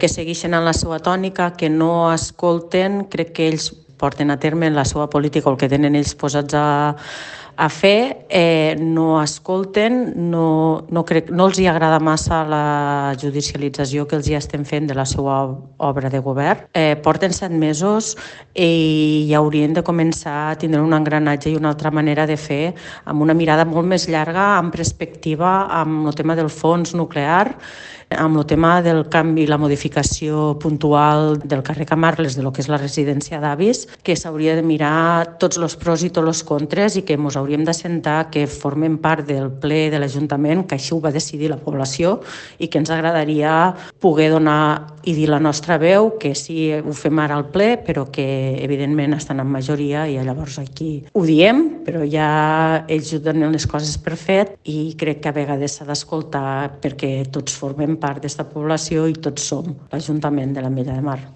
que segueixen en la seva tònica, que no escolten, crec que ells porten a terme la seva política o el que tenen ells posats a fer, no escolten, no els hi agrada massa la judicialització que els hi estem fent de la seva obra de govern. Porten 7 mesos i ja haurien de començar a tindre un engranatge i una altra manera de fer amb una mirada molt més llarga, amb perspectiva, amb el tema del fons nuclear, amb el tema del canvi i la modificació puntual del carrer Camarles, de lo que és la residència d'avis, que s'hauria de mirar tots els pros i tots els contres i que ens hauríem d'assentar que formen part del ple de l'Ajuntament, que així ho va decidir la població i que ens agradaria poder donar i dir la nostra veu, que sí, ho fem ara al ple, però que evidentment estan en majoria i llavors aquí ho diem, però ja ells ho donen les coses per fet i crec que a vegades s'ha d'escoltar perquè tots formem part d'esta població i tots som l'Ajuntament de l'Ametlla de Mar.